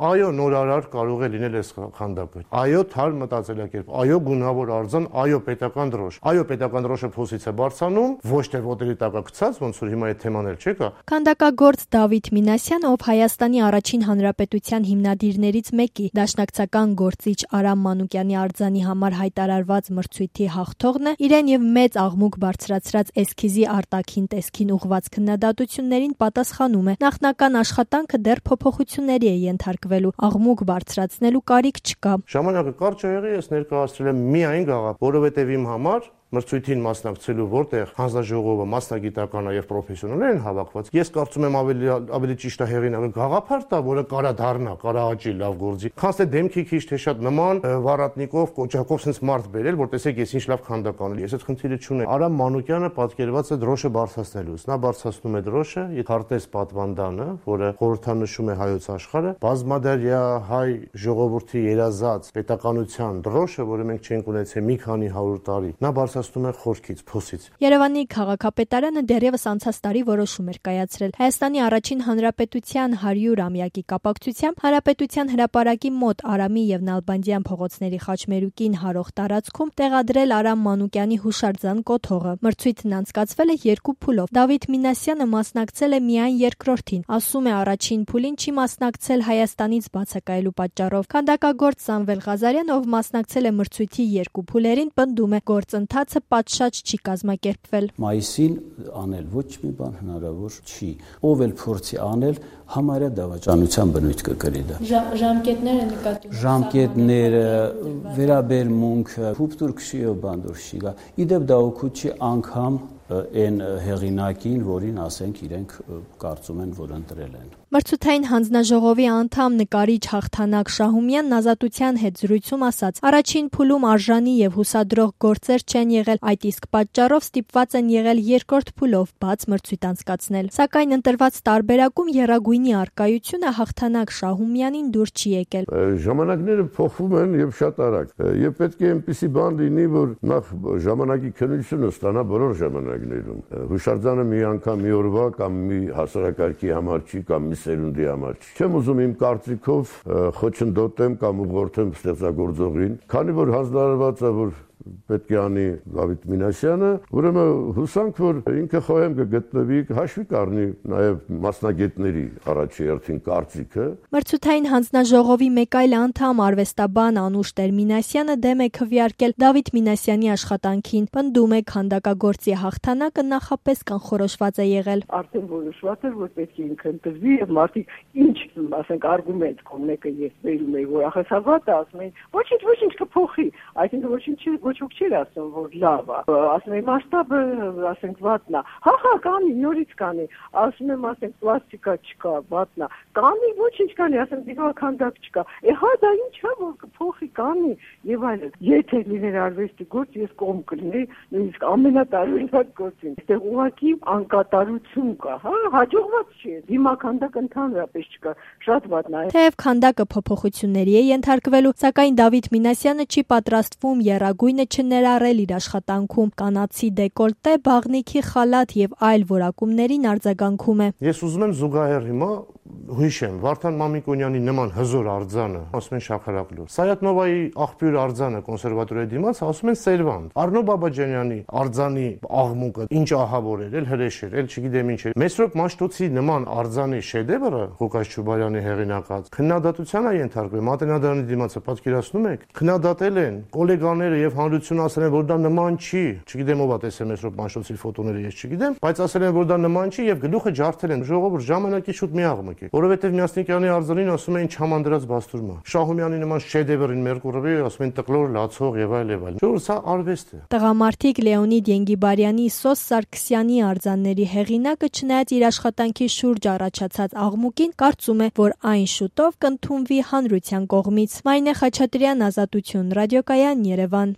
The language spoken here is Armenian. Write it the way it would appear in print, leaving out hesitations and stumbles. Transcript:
այո, նորարար կարող է լինել այս քանդակը։ Այո, թարմ մտածելակերպ, այո, գունավոր արձան, այո, պետական դրոշ։ Այո, պետական դրոշը փոսից է բարձանում, ոչ թե ոտերի տակա գցած, ոնց որ հիմա այդ թեման էլ չկա։ Քանդակագործ Դավիթ Մինասյանը, ով Հայաստանի առաջին հանրապետության հիմնադիրներից մեկի, դաշնակցական գործիչ Արամ Մանուկյանի արձանի համար հայտարարված մրցույթի հաղթողն է, իրեն եւ մեծ աղմուկ բարձրացրած էսքիզի արտաքին տեսքին ուղղված քննադատություններին պատասխանում է. նախնական աշխատանքը դեռ փոփոխությունների է ենթարկվելու, աղմուկ բարձրացնելու կարիք չկա։ Ժամանակը կարճ է եղել, ես ներկայացրել եմ միայն գաղափար, որովհետեւ իմ համար մրցույթին մասնակցելու, որտեղ հանձնաժողովը մասնագիտական եւ պրոֆեսիոնալ են հավաքված, ես կարծում եմ ավելի ճիշտ է հեղինակը գաղափար տա, որը կարա դառնա, կարա աճի, լավ գործի։ Քանց թե դեմքի քիչ թե շատ նման վառատնիկով, կոճակով sense մարդ բերել, որ տեսեք ես ինչ լավ քանդական եմ։ Ես այդ խնդիրը չունեմ։ Արամ Մանուկյանը պատկերված է դրոշը բարձրացնելուց։ Նա բարձրացնում է դրոշը, Քարտեզ պատվանդանը, որը խորհրդանշում է հայոց աշխարհը, բազմադարյա հայ ժողովրդի երազած պետականության դրոշը, որը մենք չենք ունեցել մի քանի 100 տարի։ Նա բարձրացնում է խորքից, փոսից։ Երևանի քաղաքապետարանը դեռևս անցած տարի որոշում էր կայացրել Հայաստանի առաջին հանրապետության 100-ամյակի կապակցությամբ հանրապետության հրապարակի մոտ Արամի եւ Նալբանդյան փողոցների խաչմերուկին հարող տարածքում տեղադրել Արամ Մանուկյանի հուշարձան կոթողը։ Մրցույթն անցկացվել է 2 փուլով։ Դավիթ Մինասյանը մասնակցել է միայն երկրորդին։ Ասում է առաջին փուլին չի մասնակցել Հայաստանից բացակայելու պատճառով։ Քանդակագործ Սամվել Ղազարյան, ով մասնակցել է մրցույթի 2 փուլերին, պնդում է գործընթացը պատշաճ չի կազմակերպվել։ Մայիսին անել ոչ մի բան հնարավոր չի։ Ով էլ փորձի անել, համարյա դավաճանության բնույթ կկրի դա։ Ժամկետները նկատում։ Ժամկետները, վերաբերմունքը, հուպտուր քշիով բանդուր չի գա։ Իդեպ դա օգուտ չի անգամ այն հեղինակին, որին ասենք իրենք կարծում են, որ ընտրել են։ Մրցութային հանձնաժողովի անդամ նկարիչ Հաղթանակ Շահումյանն Ազատության հետ զրույցում ասաց. առաջին փուլում արժանի եւ հուսադրող գործեր չեն եղել, այդ իսկ պատճառով ստիպված են եղել երկրորդ փուլով բաց մրցույթ անցկացնել։ Սակայն ընտրված տարբերակում եռագույնի առկայությունը Հաղթանակ Շահումյանին դուր չի եկել։ Ժամանակները փոխվում են եւ շատ արագ։ Եվ պետք է այնպիսի բան լինի, որ նախ ժամանակի քննությունը ստանա բոլոր ժամանակներում։ Հուշարձանը մի անգամ մի օրվա կամ մի հասարակարգի համար չի կամ մի սերունդի համար չի։ Չեմ ուզում իմ կարծիքով խոչընդոտեմ կամ ուղղորդեմ ստեղծագործողին, քանի որ հանձնարարված է, որ պետք է անի Դավիթ Մինասյանը, ուրեմն հուսանք, որ ինքը խոհեմ կգտնվի, հաշվի կառնի նաև մասնագետների առաջերտին կարծիքը։ Մրցութային հանձնաժողովի մեկ այլ անդամ արվեստաբան Անուշ Տեր-Մինասյանը դեմ է քվեարկել Դավիթ Մինասյանի աշխատանքին, պնդում է քանդակագործի հաղթանակը նախապես կանխորոշված է եղել։ Արդեն որոշված էր, որ պետք է ինքը ընտրվի եւ մարդիկ ինչ, ասենք, արգումենտ կողմեկը ես վերում եի, որ ախոսավատը ասում են, ոչինչ կփոխի, այսինքն ոչ ոք չի ասում, որ լավ է, ասում եմ մասշտաբը, ասենք, վատնա, հա, կանի, նորից կանի, ասում եմ, ասենք, պլաստիկա չկա, վատնա, կանի, ոչինչ կանի, ասենք, դիվանքանդակ չկա, հա, դա ինչ է, որ կփոխի, կանի եւ այլն։ Եթե լիներ արվեստի գործ, ես կողմ կլինեի, նույնիսկ ամենատարօրինակ գործին։ Այստեղ ուղղակի անկատարություն կա, հա, հաջողված չի, դիմաքանդակ ընդհանրապես չկա, շատ վատնա է։ Թեև քանդակը փոփոխությունների է ենթարկվելու, սակայն Դավիթ Մինասյանը չի պատրաստվում եռագույնը չներառել իր աշխատանքում, կանացի դեկոլտե, բաղնիքի խալաթ եւ այլ որակումներին արձագանքում է։ Ես ուզում եմ զուգահեռ հիմա հիշեմ Վարդան Մամիկոնյանի նման հզոր արձանը, ասում են Շաքարակլոր։ Սայաթնովայի աղբյուր արձանը կոնսերվատորիայի դիմաց ասում են Սերվանտ։ Արնո Բաբաջանյանի արձանի աղմուկը ինչ ահավոր էր, հրեշ էր, չգիտեմ ինչ էր։ Մեսրոպ Մաշտոցի նման արձանի շեդևրը Ղուկաս Չուբարյանի հեղինակած քննադատության է ենթարկվել։ Մատենադարանի դիմացը պատկերացնում եք, քննադատել են գոլեգաները եւ հանրությունը ասել են, որ դա նման չի։ Չգիտեմ ով է տեսել Մեսրոպ Մաշտոցի ֆոտոները, ես չգիտեմ, բայց ասել են, որ դա նման չի եւ գլուխը ջարդել են։ Ժողովուրդ ժամանակի շուտ մի աղմուկ է։ Որովհետև Մյասնիկյանի արձանին ասում էին չհամանդրած բաստուրմա։ Շահումյանի նման շեդևրին Մերկուրովի ասում են տկլոր, լացող եւ այլ եւ այլ։ Ժողովուրդ սա արվեստ է։ Տղամարդիկ Լեոնիդ Ենգիբարյանի, Սոս Սարգսյանի արձանների հեղինակը չնայած իր աշխատանքի շուրջ առաջացած աղմուկին կարծում է, որ այն շուտով կընդունվի հանրության կողմից։ Մարինե Խաչատրյան, Ազատություն, Ռադիոկայան, Երևան։